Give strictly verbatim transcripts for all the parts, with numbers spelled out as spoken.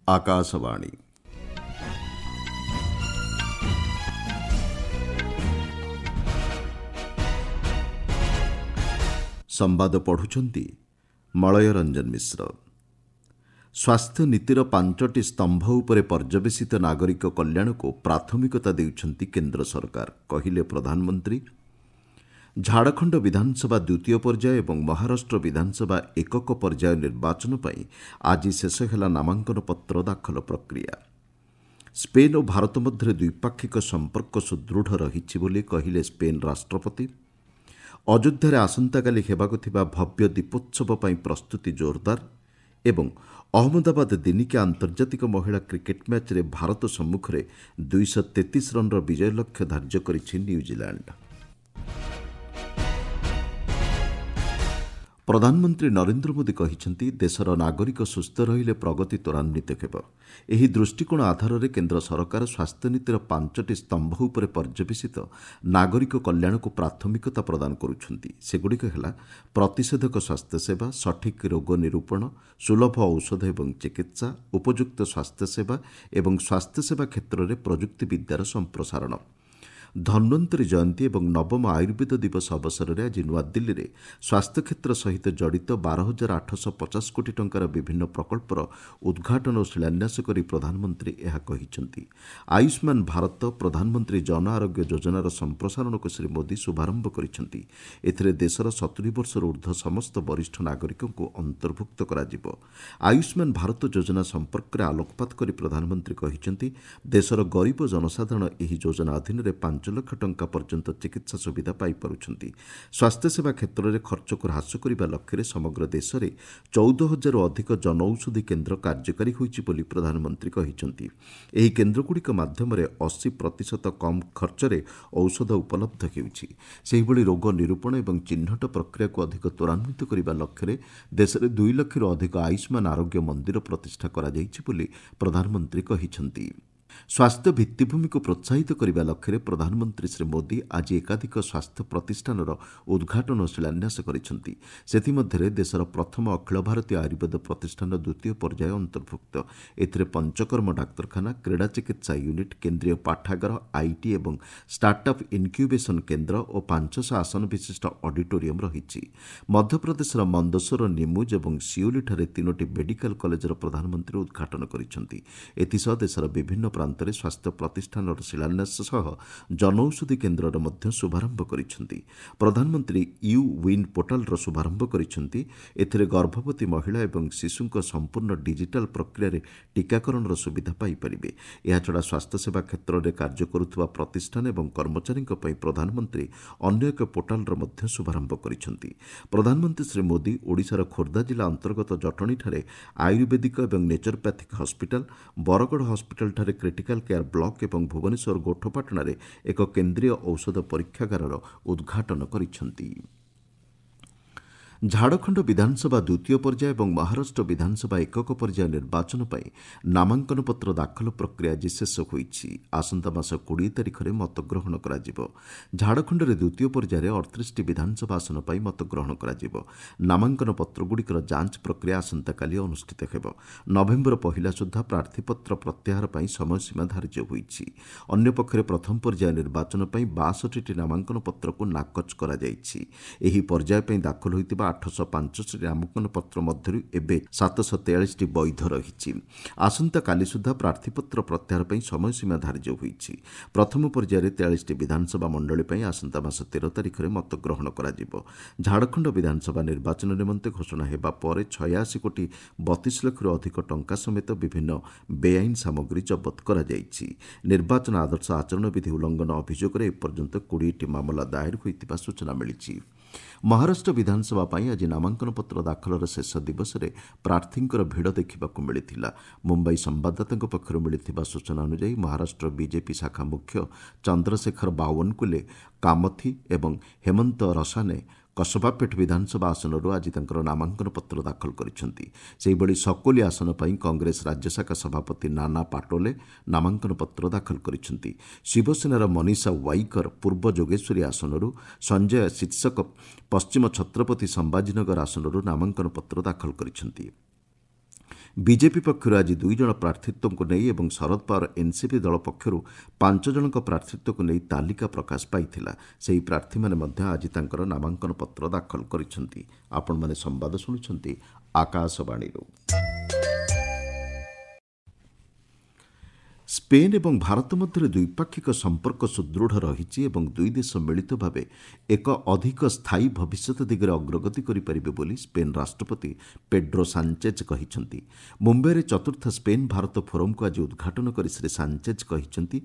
ଆକାଶବାଣୀ ସମ୍ବାଦ ପଢ଼ୁଛନ୍ତି ମଳୟ ରଞ୍ଜନ ମିଶ୍ର। ସ୍ୱାସ୍ଥ୍ୟ ନୀତିର ପାଞ୍ଚଟି ସ୍ତମ୍ଭ ଉପରେ ପର୍ଯ୍ୟବେସିତ ନାଗରିକ କଲ୍ୟାଣକୁ ପ୍ରାଥମିକତା ଦେଉଛନ୍ତି କେନ୍ଦ୍ର ସରକାର, କହିଲେ ପ୍ରଧାନମନ୍ତ୍ରୀ। ଝାଡ଼ଖଣ୍ଡ ବିଧାନସଭା ଦ୍ୱିତୀୟ ପର୍ଯ୍ୟାୟ ଏବଂ ମହାରାଷ୍ଟ୍ର ବିଧାନସଭା ଏକକ ପର୍ଯ୍ୟାୟ ନିର୍ବାଚନ ପାଇଁ ଆଜି ଶେଷ ହେଲା ନାମାଙ୍କନ ପତ୍ର ଦାଖଲ ପ୍ରକ୍ରିୟା। ସ୍ପେନ୍ ଓ ଭାରତ ମଧ୍ୟରେ ଦ୍ୱିପାକ୍ଷିକ ସମ୍ପର୍କ ସୁଦୃଢ଼ ରହିଛି ବୋଲି କହିଲେ ସ୍ପେନ୍ ରାଷ୍ଟ୍ରପତି। ଅଯୋଧ୍ୟାରେ ଆସନ୍ତାକାଲି ହେବାକୁ ଥିବା ଭବ୍ୟ ଦୀପୋତ୍ସବ ପାଇଁ ପ୍ରସ୍ତୁତି ଜୋରଦାର ଏବଂ ଅହମ୍ମଦାବାଦ ଦିନିକିଆ ଆନ୍ତର୍ଜାତିକ ମହିଳା କ୍ରିକେଟ୍ ମ୍ୟାଚ୍ରେ ଭାରତ ସମ୍ମୁଖରେ ଦୁଇଶହ ତେତିଶ ରନ୍ର ବିଜୟ ଲକ୍ଷ୍ୟ ଧାର୍ଯ୍ୟ କରିଛି ନ୍ୟୁଜିଲାଣ୍ଡ। ପ୍ରଧାନମନ୍ତ୍ରୀ ନରେନ୍ଦ୍ର ମୋଦି କହିଛନ୍ତି, ଦେଶର ନାଗରିକ ସୁସ୍ଥ ରହିଲେ ପ୍ରଗତି ତ୍ୱରାନ୍ୱିତ ହେବ। ଏହି ଦୃଷ୍ଟିକୋଣ ଆଧାରରେ କେନ୍ଦ୍ର ସରକାର ସ୍ୱାସ୍ଥ୍ୟନୀତିର ପାଞ୍ଚଟି ସ୍ତମ୍ଭ ଉପରେ ପର୍ଯ୍ୟବେସିତ ନାଗରିକ କଲ୍ୟାଣକୁ ପ୍ରାଥମିକତା ପ୍ରଦାନ କରୁଛନ୍ତି। ସେଗୁଡ଼ିକ ହେଲା ପ୍ରତିଷେଧକ ସ୍ୱାସ୍ଥ୍ୟସେବା, ସଠିକ୍ ରୋଗ ନିରୂପଣ, ସୁଲଭ ଔଷଧ ଏବଂ ଚିକିତ୍ସା, ଉପଯୁକ୍ତ ସ୍ୱାସ୍ଥ୍ୟସେବା ଏବଂ ସ୍ୱାସ୍ଥ୍ୟସେବା କ୍ଷେତ୍ରରେ ପ୍ରଯୁକ୍ତିବିଦ୍ୟାର ସମ୍ପ୍ରସାରଣ। ଧନ୍ୱନ୍ତରୀ ଜୟନ୍ତୀ ଏବଂ ନବମ ଆୟୁର୍ବେଦ ଦିବସ ଅବସରରେ ଆଜି ନୂଆଦିଲ୍ଲୀରେ ସ୍ୱାସ୍ଥ୍ୟକ୍ଷେତ୍ର ସହିତ ଜଡ଼ିତ ବାର ହଜାର ଆଠଶହ ପଚାଶ କୋଟି ଟଙ୍କାର ବିଭିନ୍ନ ପ୍ରକଳ୍ପର ଉଦ୍ଘାଟନ ଓ ଶିଳାନ୍ୟାସ କରି ପ୍ରଧାନମନ୍ତ୍ରୀ ଏହା କହିଛନ୍ତି। ଆୟୁଷ୍ମାନ ଭାରତ, ପ୍ରଧାନମନ୍ତ୍ରୀ ଜନ ଆରୋଗ୍ୟ ଯୋଜନାର ସମ୍ପ୍ରସାରଣକୁ ଶ୍ରୀ ମୋଦି ଶୁଭାରମ୍ଭ କରିଛନ୍ତି। ଏଥିରେ ଦେଶର ସତୁରି ବର୍ଷରୁ ଉର୍ଦ୍ଧ୍ୱ ସମସ୍ତ ବରିଷ୍ଠ ନାଗରିକଙ୍କୁ ଅନ୍ତର୍ଭୁକ୍ତ କରାଯିବ। ଆୟୁଷ୍ମାନ ଭାରତ ଯୋଜନା ସମ୍ପର୍କରେ ଆଲୋକପାତ କରି ପ୍ରଧାନମନ୍ତ୍ରୀ କହିଛନ୍ତି, ଦେଶର ଗରିବ ଜନସାଧାରଣ ଏହି ଯୋଜନା ଅଧୀନରେ ପାଞ୍ଚ ଲକ୍ଷ ଟଙ୍କା ପର୍ଯ୍ୟନ୍ତ ଚିକିତ୍ସା ସୁବିଧା ପାଇପାରୁଛନ୍ତି। ସ୍ୱାସ୍ଥ୍ୟସେବା କ୍ଷେତ୍ରରେ ଖର୍ଚ୍ଚକୁ ହ୍ରାସ କରିବା ଲକ୍ଷ୍ୟରେ ସମଗ୍ର ଦେଶରେ ଚଉଦ ହଜାରରୁ ଅଧିକ ଜନଔଷଧି କେନ୍ଦ୍ର କାର୍ଯ୍ୟକାରୀ ହୋଇଛି ବୋଲି ପ୍ରଧାନମନ୍ତ୍ରୀ କହିଛନ୍ତି। ଏହି କେନ୍ଦ୍ରଗୁଡ଼ିକ ମାଧ୍ୟମରେ ଅଶୀ ପ୍ରତିଶତ କମ୍ ଖର୍ଚ୍ଚରେ ଔଷଧ ଉପଲବ୍ଧ ହେଉଛି। ସେହିଭଳି ରୋଗ ନିରୂପଣ ଏବଂ ଚିହ୍ନଟ ପ୍ରକ୍ରିୟାକୁ ଅଧିକ ତ୍ୱରାନ୍ୱିତ କରିବା ଲକ୍ଷ୍ୟରେ ଦେଶରେ ଦୁଇ ଲକ୍ଷରୁ ଅଧିକ ଆୟୁଷ୍ମାନ ଆରୋଗ୍ୟ ମନ୍ଦିର ପ୍ରତିଷ୍ଠା କରାଯାଇଛି ବୋଲି ପ୍ରଧାନମନ୍ତ୍ରୀ କହିଛନ୍ତି। ସ୍ୱାସ୍ଥ୍ୟ ଭିତ୍ତିଭୂମିକୁ ପ୍ରୋତ୍ସାହିତ କରିବା ଲକ୍ଷ୍ୟରେ ପ୍ରଧାନମନ୍ତ୍ରୀ ଶ୍ରୀ ମୋଦି ଆଜି ଏକାଧିକ ସ୍ୱାସ୍ଥ୍ୟ ପ୍ରତିଷ୍ଠାନର ଉଦ୍ଘାଟନ ଓ ଶିଳାନ୍ୟାସ କରିଛନ୍ତି। ସେଥିମଧ୍ୟରେ ଦେଶର ପ୍ରଥମ ଅଖିଳ ଭାରତୀୟ ଆୟୁର୍ବେଦ ପ୍ରତିଷ୍ଠାନ ଦ୍ୱିତୀୟ ପର୍ଯ୍ୟାୟ ଅନ୍ତର୍ଭୁକ୍ତ। ଏଥିରେ ପଞ୍ଚକର୍ମ ଡାକ୍ତରଖାନା, କ୍ରୀଡ଼ା ଚିକିତ୍ସା ୟୁନିଟ୍, କେନ୍ଦ୍ରୀୟ ପାଠାଗାର, IT ଏବଂ ଷ୍ଟାର୍ଟଅପ୍ ଇନ୍କ୍ୟୁବେସନ୍ କେନ୍ଦ୍ର ଓ ପାଞ୍ଚଶହ ଆସନ ବିଶିଷ୍ଟ ଅଡିଟୋରିୟମ୍ ରହିଛି। ମଧ୍ୟପ୍ରଦେଶର ମନ୍ଦସୋର, ନିମୁଜ ଏବଂ ସିଓଲିଠାରେ ତିନୋଟି ମେଡିକାଲ କଲେଜର ପ୍ରଧାନମନ୍ତ୍ରୀ ଉଦ୍ଘାଟନ କରିଛନ୍ତି। ଏଥିସହ ଦେଶର ବିଭିନ୍ନ ପ୍ରାନ୍ତରେ ସ୍ୱାସ୍ଥ୍ୟ ପ୍ରତିଷ୍ଠାନର ଶିଳାନ୍ୟାସ ସହ ଜନଔଷଧି କେନ୍ଦ୍ରର ମଧ୍ୟ ଶୁଭାରମ୍ଭ କରିଛନ୍ତି। ପ୍ରଧାନମନ୍ତ୍ରୀ you win ପୋର୍ଟାଲର ଶୁଭାରମ୍ଭ କରିଛନ୍ତି। ଏଥିରେ ଗର୍ଭବତୀ ମହିଳା ଏବଂ ଶିଶୁଙ୍କ ସମ୍ପୂର୍ଣ୍ଣ ଡିଜିଟାଲ ପ୍ରକ୍ରିୟାରେ ଟିକାକରଣର ସୁବିଧା ପାଇପାରିବେ। ଏହାଛଡ଼ା ସ୍ୱାସ୍ଥ୍ୟସେବା କ୍ଷେତ୍ରରେ କାର୍ଯ୍ୟ କରୁଥିବା ପ୍ରତିଷ୍ଠାନ ଏବଂ କର୍ମଚାରୀଙ୍କ ପାଇଁ ପ୍ରଧାନମନ୍ତ୍ରୀ ଅନ୍ୟ ଏକ ପୋର୍ଟାଲର ମଧ୍ୟ ଶୁଭାରମ୍ଭ କରିଛନ୍ତି। ପ୍ରଧାନମନ୍ତ୍ରୀ ଶ୍ରୀ ମୋଦି ଓଡ଼ିଶାର ଖୋର୍ଦ୍ଧା ଜିଲ୍ଲା ଅନ୍ତର୍ଗତ ଜଟଣୀଠାରେ ଆୟୁର୍ବେଦିକ ଏବଂ ନେଚରୋପ୍ୟାଥିକ୍ ହସ୍ପିଟାଲ, ବରଗଡ଼ ହସ୍ପିଟାଲଠାରେ କ୍ରିଟିକାଲ କେୟାର ବ୍ଲକ ଏବଂ ଭୁବନେଶ୍ୱର ଗୋଠପାଟଣାରେ ଏକ କେନ୍ଦ୍ରୀୟ ଔଷଧ ପରୀକ୍ଷାଗାରର ଉଦ୍ଘାଟନ କରିଛନ୍ତି। ଝାଡ଼ଖଣ୍ଡ ବିଧାନସଭା ଦ୍ୱିତୀୟ ପର୍ଯ୍ୟାୟ ଏବଂ ମହାରାଷ୍ଟ୍ର ବିଧାନସଭା ଏକକ ପର୍ଯ୍ୟାୟ ନିର୍ବାଚନ ପାଇଁ ନାମାଙ୍କନ ପତ୍ର ଦାଖଲ ପ୍ରକ୍ରିୟା ଆଜି ଶେଷ ହୋଇଛି। ଆସନ୍ତା ମାସ କୋଡ଼ିଏ ତାରିଖରେ ମତଗ୍ରହଣ କରାଯିବ। ଝାଡ଼ଖଣ୍ଡରେ ଦ୍ୱିତୀୟ ପର୍ଯ୍ୟାୟରେ ଅଠତିରିଶଟି ବିଧାନସଭା ଆସନ ପାଇଁ ମତଗ୍ରହଣ କରାଯିବ। ନାମାଙ୍କନ ପତ୍ରଗୁଡ଼ିକର ଯାଞ୍ଚ ପ୍ରକ୍ରିୟା ଆସନ୍ତାକାଲି ଅନୁଷ୍ଠିତ ହେବ। ନଭେମ୍ବର ପହିଲା ସୁଦ୍ଧା ପ୍ରାର୍ଥୀପତ୍ର ପ୍ରତ୍ୟାହାର ପାଇଁ ସମୟସୀମା ଧାର୍ଯ୍ୟ ହୋଇଛି। ଅନ୍ୟପକ୍ଷରେ ପ୍ରଥମ ପର୍ଯ୍ୟାୟ ନିର୍ବାଚନ ପାଇଁ ବାଷଠିଟି ନାମାଙ୍କନ ପତ୍ରକୁ ନାକଚ କରାଯାଇଛି। ଏହି ପର୍ଯ୍ୟାୟ ପାଇଁ ଦାଖଲ ହୋଇଥିବା ଆଠଶହ ପାଞ୍ଚଟି ନାମାଙ୍କନ ପତ୍ର ମଧ୍ୟରୁ ଏବେ ସାତଶହ ତେୟାଳିଶଟି ବୈଧ ରହିଛି। ଆସନ୍ତାକାଲି ସୁଦ୍ଧା ପ୍ରାର୍ଥୀପତ୍ର ପ୍ରତ୍ୟାହାର ପାଇଁ ସମୟସୀମା ଧାର୍ଯ୍ୟ ହୋଇଛି। ପ୍ରଥମ ପର୍ଯ୍ୟାୟରେ ତେୟାଳିଶଟି ବିଧାନସଭା ମଣ୍ଡଳୀ ପାଇଁ ଆସନ୍ତା ମାସ ତେର ତାରିଖରେ ମତଗ୍ରହଣ କରାଯିବ। ଝାଡ଼ଖଣ୍ଡ ବିଧାନସଭା ନିର୍ବାଚନ ନିମନ୍ତେ ଘୋଷଣା ହେବା ପରେ ଛୟାଅଶୀ କୋଟି ବତିଶ ଲକ୍ଷରୁ ଅଧିକ ଟଙ୍କା ସମେତ ବିଭିନ୍ନ ବେଆଇନ ସାମଗ୍ରୀ ଜବତ କରାଯାଇଛି। ନିର୍ବାଚନ ଆଦର୍ଶ ଆଚରଣ ବିଧି ଉଲ୍ଲଂଘନ ଅଭିଯୋଗରେ ଏପର୍ଯ୍ୟନ୍ତ କୋଡ଼ିଏଟି ମାମଲା ଦାଏର ହୋଇଥିବା ସୂଚନା ମିଳିଛି। ମହାରାଷ୍ଟ୍ର ବିଧାନସଭା ପାଇଁ ଆଜି ନାମାଙ୍କନ ପତ୍ର ଦାଖଲର ଶେଷ ଦିବସରେ ପ୍ରାର୍ଥୀଙ୍କର ଭିଡ଼ ଦେଖିବାକୁ ମିଳିଥିଲା। ମୁମ୍ବାଇ ସମ୍ବାଦଦାତାଙ୍କ ପକ୍ଷରୁ ମିଳିଥିବା ସୂଚନା ଅନୁଯାୟୀ ମହାରାଷ୍ଟ୍ର ବିଜେପି ଶାଖା ମୁଖ୍ୟ ଚନ୍ଦ୍ରଶେଖର ବାୱନକୁଲେ କାମଥି ଏବଂ ହେମନ୍ତ ରସାନେ କସବାପେଠ ବିଧାନସଭା ଆସନରୁ ଆଜି ତାଙ୍କର ନାମାଙ୍କନ ପତ୍ର ଦାଖଲ କରିଛନ୍ତି। ସେହିଭଳି ସକୋଲି ଆସନ ପାଇଁ କଂଗ୍ରେସ ରାଜ୍ୟଶାଖା ସଭାପତି ନାନା ପାଟୋଲେ ନାମାଙ୍କନ ପତ୍ର ଦାଖଲ କରିଛନ୍ତି। ଶିବସେନାର ମନୀଷା ୱାଇକର ପୂର୍ବ ଯୋଗେଶ୍ୱରୀ ଆସନରୁ, ସଞ୍ଜୟ ଶୀର୍ଷକ ପଶ୍ଚିମ ଛତ୍ରପତି ସମ୍ଭାଜୀନଗର ଆସନରୁ ନାମାଙ୍କନ ପତ୍ର ଦାଖଲ କରିଛନ୍ତି। ବିଜେପି ପକ୍ଷରୁ ଆଜି ଦୁଇ ଜଣ ପ୍ରାର୍ଥୀତ୍ୱକୁ ନେଇ ଏବଂ ଶରଦ ପାୱାର ଏନ୍ସିପି ଦଳ ପକ୍ଷରୁ ପାଞ୍ଚ ଜଣଙ୍କ ପ୍ରାର୍ଥୀତ୍ୱକୁ ନେଇ ତାଲିକା ପ୍ରକାଶ ପାଇଥିଲା। ସେହି ପ୍ରାର୍ଥୀମାନେ ମଧ୍ୟ ଆଜି ତାଙ୍କର ନାମାଙ୍କନ ପତ୍ର ଦାଖଲ କରିଛନ୍ତି। ଆପଣମାନେ ସମ୍ବାଦ ଶୁଣୁଛନ୍ତି ଆକାଶବାଣୀରୁ। ସ୍ପେନ୍ ଏବଂ ଭାରତ ମଧ୍ୟରେ ଦ୍ୱିପାକ୍ଷିକ ସମ୍ପର୍କ ସୁଦୃଢ଼ ରହିଛି ଏବଂ ଦୁଇ ଦେଶ ମିଳିତ ଭାବେ ଏକ ଅଧିକ ସ୍ଥାୟୀ ଭବିଷ୍ୟତ ଦିଗରେ ଅଗ୍ରଗତି କରିପାରିବେ ବୋଲି ସ୍ପେନ୍ ରାଷ୍ଟ୍ରପତି ପେଡ୍ରୋ ସାଞ୍ଚେଜ୍ କହିଛନ୍ତି। ମୁମ୍ବାଇରେ ଚତୁର୍ଥ ସ୍ପେନ୍ ଭାରତ ଫୋରମ୍କୁ ଆଜି ଉଦ୍ଘାଟନ କରି ଶ୍ରୀ ସାଞ୍ଚେଜ୍ କହିଛନ୍ତି,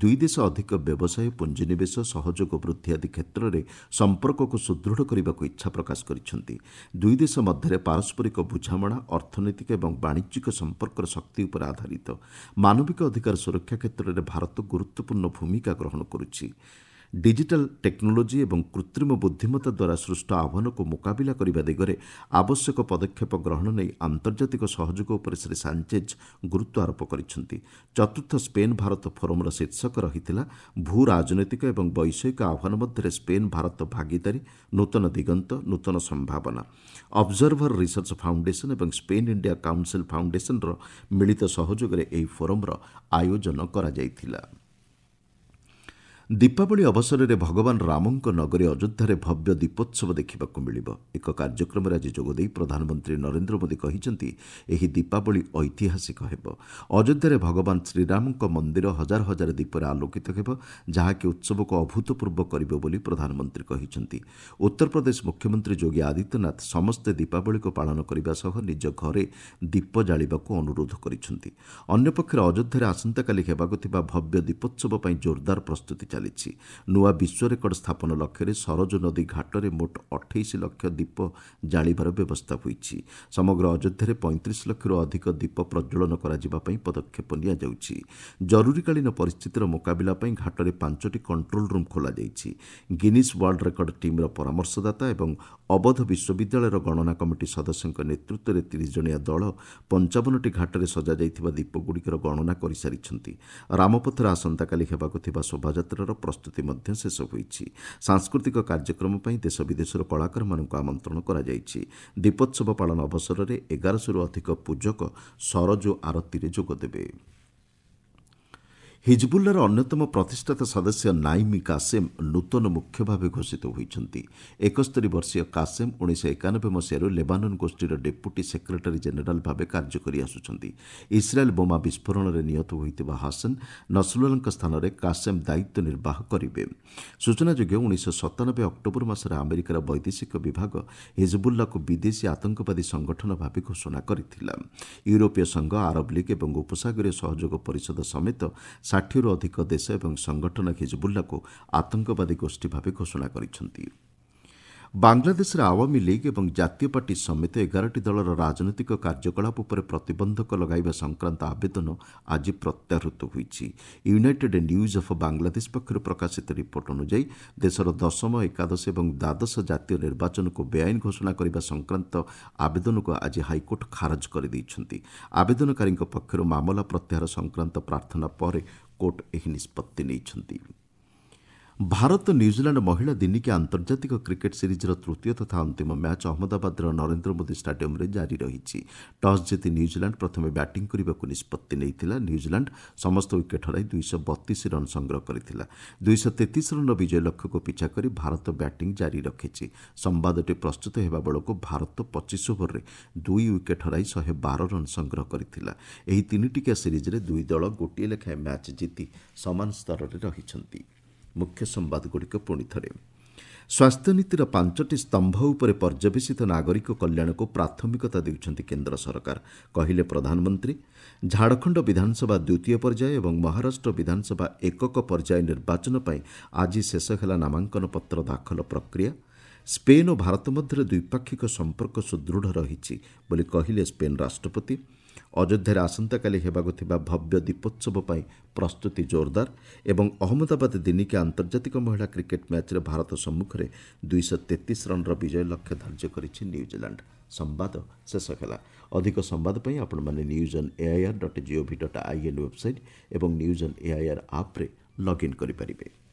ଦୁଇ ଦେଶ ଅଧିକ ବ୍ୟବସାୟ, ପୁଞ୍ଜିନିବେଶ, ସହଯୋଗ ବୃଦ୍ଧି ଆଦି କ୍ଷେତ୍ରରେ ସମ୍ପର୍କକୁ ସୁଦୃଢ଼ କରିବାକୁ ଇଚ୍ଛା ପ୍ରକାଶ କରିଛନ୍ତି। ଦୁଇ ଦେଶ ମଧ୍ୟରେ ପାରସ୍ପରିକ ବୁଝାମଣା ଅର୍ଥନୈତିକ ଏବଂ ବାଣିଜ୍ୟିକ ସମ୍ପର୍କର ଶକ୍ତି ଉପରେ ଆଧାରିତ। ମାନବିକ ଅଧିକାର ସୁରକ୍ଷା କ୍ଷେତ୍ରରେ ଭାରତ ଗୁରୁତ୍ୱପୂର୍ଣ୍ଣ ଭୂମିକା ଗ୍ରହଣ କରୁଛି। ଡିଜିଟାଲ ଟେକ୍ନୋଲୋଜି ଏବଂ କୃତ୍ରିମ ବୁଦ୍ଧିମତ୍ତା ଦ୍ୱାରା ସୃଷ୍ଟ ଆହ୍ୱାନକୁ ମୁକାବିଲା କରିବା ଦିଗରେ ଆବଶ୍ୟକ ପଦକ୍ଷେପ ଗ୍ରହଣ ନେଇ ଆନ୍ତର୍ଜାତିକ ସହଯୋଗ ଉପରେ ଶ୍ରୀ ସାଞ୍ଚେଜ୍ ଗୁରୁତ୍ୱ ଆରୋପ କରିଛନ୍ତି। ଚତୁର୍ଥ ସ୍ପେନ୍ ଭାରତ ଫୋରମ୍ର ଶୀର୍ଷକ ରହିଥିଲା ଭୂ ରାଜନୈତିକ ଏବଂ ବୈଷୟିକ ଆହ୍ୱାନ ମଧ୍ୟରେ ସ୍ପେନ୍ ଭାରତ ଭାଗିଦାରୀ, ନୂତନ ଦିଗନ୍ତ, ନୂତନ ସମ୍ଭାବନା। ଅବଜର୍ଭର ରିସର୍ଚ୍ଚ ଫାଉଣ୍ଡେସନ୍ ଏବଂ ସ୍ପେନ୍ ଇଣ୍ଡିଆ କାଉନସିଲ୍ ଫାଉଣ୍ଡେସନ୍ର ମିଳିତ ସହଯୋଗରେ ଏହି ଫୋରମ୍ର ଆୟୋଜନ କରାଯାଇଥିଲା। ଦୀପାବଳି ଅବସରରେ ଭଗବାନ ରାମଙ୍କ ନଗରୀ ଅଯୋଧ୍ୟାରେ ଭବ୍ୟ ଦୀପୋତ୍ସବ ଦେଖିବାକୁ ମିଳିବ। ଏକ କାର୍ଯ୍ୟକ୍ରମରେ ଆଜି ଯୋଗଦେଇ ପ୍ରଧାନମନ୍ତ୍ରୀ ନରେନ୍ଦ୍ର ମୋଦି କହିଛନ୍ତି, ଏହି ଦୀପାବଳି ଐତିହାସିକ ହେବ। ଅଯୋଧ୍ୟାରେ ଭଗବାନ ଶ୍ରୀରାମଙ୍କ ମନ୍ଦିର ହଜାର ହଜାର ଦୀପରେ ଆଲୋକିତ ହେବ, ଯାହାକି ଉତ୍ସବକୁ ଅଭୂତପୂର୍ବ କରିବ ବୋଲି ପ୍ରଧାନମନ୍ତ୍ରୀ କହିଛନ୍ତି। ଉତ୍ତରପ୍ରଦେଶ ମୁଖ୍ୟମନ୍ତ୍ରୀ ଯୋଗୀ ଆଦିତ୍ୟନାଥ ସମସ୍ତେ ଦୀପାବଳିକୁ ପାଳନ କରିବା ସହ ନିଜ ଘରେ ଦୀପ ଜାଳିବାକୁ ଅନୁରୋଧ କରିଛନ୍ତି। ଅନ୍ୟପକ୍ଷରେ ଅଯୋଧ୍ୟାରେ ଆସନ୍ତାକାଲି ହେବାକୁ ଥିବା ଭବ୍ୟ ଦୀପୋତ୍ସବ ପାଇଁ ଜୋରଦାର ପ୍ରସ୍ତୁତି ଚାଲିଛି। ନୂଆ ବିଶ୍ୱ ରେକର୍ଡ ସ୍ଥାପନ ଲକ୍ଷ୍ୟରେ ସରଜୁ ନଦୀ ଘାଟରେ ମୋଟ ଅଠେଇଶ ଲକ୍ଷ ଦୀପ ଜାଳିବାର ବ୍ୟବସ୍ଥା ହୋଇଛି। ସମଗ୍ର ଅଯୋଧ୍ୟାରେ ପଇଁତିରିଶ ଲକ୍ଷରୁ ଅଧିକ ଦୀପ ପ୍ରଜ୍ୱଳନ କରାଯିବା ପାଇଁ ପଦକ୍ଷେପ ନିଆଯାଉଛି। ଜରୁରୀକାଳୀନ ପରିସ୍ଥିତିର ମୁକାବିଲା ପାଇଁ ଘାଟରେ ପାଞ୍ଚଟି କଣ୍ଟ୍ରୋଲ ରୁମ୍ ଖୋଲାଯାଇଛି। ଗିନିସ୍ ୱାର୍ଲଡ ରେକର୍ଡ ଟିମ୍ର ପରାମର୍ଶଦାତା ଏବଂ ଅବଧ ବିଶ୍ୱବିଦ୍ୟାଳୟର ଗଣନା କମିଟି ସଦସ୍ୟଙ୍କ ନେତୃତ୍ୱରେ ତିରିଶ ଜଣିଆ ଦଳ ପଞ୍ଚାବନଟି ଘାଟରେ ସଜାଯାଇଥିବା ଦୀପଗୁଡ଼ିକର ଗଣନା କରିସାରିଛନ୍ତି। ରାମପଥରେ ଆସନ୍ତାକାଲି ହେବାକୁ ଥିବା ଶୋଭାଯାତ୍ରାର ପ୍ରସ୍ତୁତି ମଧ୍ୟ ଶେଷ ହୋଇଛି। ସାଂସ୍କୃତିକ କାର୍ଯ୍ୟକ୍ରମ ପାଇଁ ଦେଶ ବିଦେଶର କଳାକାରମାନଙ୍କୁ ଆମନ୍ତ୍ରଣ କରାଯାଇଛି। ଦୀପୋତ୍ସବ ପାଳନ ଅବସରରେ ଏଗାରଶହରୁ ଅଧିକ ପୂଜକ ସରଜୁ ଆରତୀରେ ଯୋଗଦେବେ। ହିଜବୁଲ୍ଲାର ଅନ୍ୟତମ ପ୍ରତିଷ୍ଠାତା ସଦସ୍ୟ ନାଇମି କାସେମ୍ ନୂତନ ମୁଖ୍ୟ ଭାବେ ଘୋଷିତ ହୋଇଛନ୍ତି। ଏକସ୍ତରୀ ବର୍ଷୀୟ କାସେମ୍ ଉଣେଇଶହ ଏକାନବେ ମସିହାରୁ ଲେବାନନ ଗୋଷ୍ଠୀର ଡେପୁଟି ସେକ୍ରେଟାରୀ ଜେନେରାଲ ଭାବେ କାର୍ଯ୍ୟ କରିଆସୁଛନ୍ତି। ଇସ୍ରାଏଲ୍ ବୋମା ବିସ୍ଫୋରଣରେ ନିହତ ହୋଇଥିବା ହାସନ ନସରୁଲ୍ଲାଙ୍କ ସ୍ଥାନରେ କାସେମ୍ ଦାୟିତ୍ୱ ନିର୍ବାହ କରିବେ। ସୂଚନାଯୋଗ୍ୟ, ଉଣେଇଶହ ସତାନବେ ଅକ୍ଟୋବର ମାସରେ ଆମେରିକାର ବୈଦେଶିକ ବିଭାଗ ହିଜବୁଲ୍ଲାକୁ ବିଦେଶୀ ଆତଙ୍କବାଦୀ ସଂଗଠନ ଭାବେ ଘୋଷଣା କରିଥିଲା। ୟୁରୋପୀୟ ସଂଘ, ଆରବ ଲିଗ୍ ଏବଂ ଉପସାଗରୀୟ ସହଯୋଗ ପରିଷଦ ସମେତ ଷାଠିଏରୁ ଅଧିକ ଦେଶ ଏବଂ ସଂଗଠନ ହିଜବୁଲ୍ଲାକୁ ଆତଙ୍କବାଦୀ ଗୋଷ୍ଠୀ ଭାବେ ଘୋଷଣା କରିଛନ୍ତି। ବାଂଲାଦେଶରେ ଆୱାମୀ ଲିଗ୍ ଏବଂ ଜାତୀୟ ପାର୍ଟି ସମେତ ଏଗାରଟି ଦଳର ରାଜନୈତିକ କାର୍ଯ୍ୟକଳାପ ଉପରେ ପ୍ରତିବନ୍ଧକ ଲଗାଇବା ସଂକ୍ରାନ୍ତ ଆବେଦନ ଆଜି ପ୍ରତ୍ୟାହୃତ ହୋଇଛି। ୟୁନାଇଟେଡ୍ ନ୍ୟୁଜ୍ ଅଫ୍ ବାଂଲାଦେଶ ପକ୍ଷରୁ ପ୍ରକାଶିତ ରିପୋର୍ଟ ଅନୁଯାୟୀ ଦେଶର ଦଶମ, ଏକାଦଶ ଏବଂ ଦ୍ୱାଦଶ ଜାତୀୟ ନିର୍ବାଚନକୁ ବେଆଇନ ଘୋଷଣା କରିବା ସଂକ୍ରାନ୍ତ ଆବେଦନକୁ ଆଜି ହାଇକୋର୍ଟ ଖାରଜ କରିଦେଇଛନ୍ତି। ଆବେଦନକାରୀଙ୍କ ପକ୍ଷରୁ ମାମଲା ପ୍ରତ୍ୟାହାର ସଂକ୍ରାନ୍ତ ପ୍ରାର୍ଥନା ପରେ କୋର୍ଟ ଏହି ନିଷ୍ପତ୍ତି ନେଇଛନ୍ତି। ଭାରତ ନ୍ୟୁଜିଲାଣ୍ଡ ମହିଳା ଦିନିକିଆ ଆନ୍ତର୍ଜାତିକ କ୍ରିକେଟ୍ ସିରିଜ୍ର ତୃତୀୟ ତଥା ଅନ୍ତିମ ମ୍ୟାଚ୍ ଅହମ୍ମଦାବାଦର ନରେନ୍ଦ୍ର ମୋଦି ଷ୍ଟାଡିୟମ୍ରେ ଜାରି ରହିଛି। ଟସ୍ ଜିତି ନ୍ୟୁଜିଲାଣ୍ଡ ପ୍ରଥମେ ବ୍ୟାଟିଂ କରିବାକୁ ନିଷ୍ପତ୍ତି ନେଇଥିଲା। ନ୍ୟୁଜିଲାଣ୍ଡ ସମସ୍ତ ୱିକେଟ୍ ହରାଇ ଦୁଇଶହ ବତିଶ ରନ୍ ସଂଗ୍ରହ କରିଥିଲା। ଦୁଇଶହ ତେତିଶ ରନ୍ର ବିଜୟ ଲକ୍ଷ୍ୟକୁ ପିଛା କରି ଭାରତ ବ୍ୟାଟିଂ ଜାରି ରଖିଛି। ସମ୍ବାଦଟି ପ୍ରସ୍ତୁତ ହେବା ବେଳକୁ ଭାରତ ପଚିଶ ଓଭରରେ ଦୁଇ ୱିକେଟ୍ ହରାଇ ଶହେ ବାର ରନ୍ ସଂଗ୍ରହ କରିଥିଲା। ଏହି ତିନିଟିକିଆ ସିରିଜ୍ରେ ଦୁଇ ଦଳ ଗୋଟିଏ ଲେଖାଏଁ ମ୍ୟାଚ୍ ଜିତି ସମାନ ସ୍ତରରେ ରହିଛନ୍ତି। ମୁଖ୍ୟ ସମ୍ବାଦଗୁଡ଼ିକ ପୁଣି ଥରେ। ସ୍ୱାସ୍ଥ୍ୟନୀତିର ପାଞ୍ଚଟି ସ୍ତମ୍ଭ ଉପରେ ପର୍ଯ୍ୟବେସିତ ନାଗରିକ କଲ୍ୟାଣକୁ ପ୍ରାଥମିକତା ଦେଉଛନ୍ତି କେନ୍ଦ୍ର ସରକାର, କହିଲେ ପ୍ରଧାନମନ୍ତ୍ରୀ। ଝାଡ଼ଖଣ୍ଡ ବିଧାନସଭା ଦ୍ୱିତୀୟ ପର୍ଯ୍ୟାୟ ଏବଂ ମହାରାଷ୍ଟ୍ର ବିଧାନସଭା ଏକକ ପର୍ଯ୍ୟାୟ ନିର୍ବାଚନ ପାଇଁ ଆଜି ଶେଷ ହେଲା ନାମାଙ୍କନ ପତ୍ର ଦାଖଲ ପ୍ରକ୍ରିୟା। ସ୍ପେନ୍ ଓ ଭାରତ ମଧ୍ୟରେ ଦ୍ୱିପାକ୍ଷିକ ସମ୍ପର୍କ ସୁଦୃଢ଼ ରହିଛି ବୋଲି କହିଲେ ସ୍ପେନ୍ ରାଷ୍ଟ୍ରପତି। ଅଯୋଧ୍ୟାରେ ଆସନ୍ତାକାଲି ହେବାକୁ ଥିବା ଭବ୍ୟ ଦୀପୋତ୍ସବ ପାଇଁ ପ୍ରସ୍ତୁତି ଜୋରଦାର। ଏବଂ ଅହମ୍ମଦାବାଦ ଦିନିକିଆ ଆନ୍ତର୍ଜାତିକ ମହିଳା କ୍ରିକେଟ୍ ମ୍ୟାଚ୍ରେ ଭାରତ ସମ୍ମୁଖରେ ଦୁଇଶହ ତେତିଶ ରନ୍ର ବିଜୟ ଲକ୍ଷ୍ୟ ଧାର୍ଯ୍ୟ କରିଛି ନ୍ୟୁଜିଲାଣ୍ଡ। ସମ୍ବାଦ ଶେଷ ହେଲା। ଅଧିକ ସମ୍ବାଦ ପାଇଁ ଆପଣମାନେ news on AIR dot GOV dot IN website ଏବଂ ନ୍ୟୁଜ୍ ଅନ୍ ଏଆଇଆର୍ ଆପ୍ରେ ଲଗ୍ଇନ୍ କରିପାରିବେ।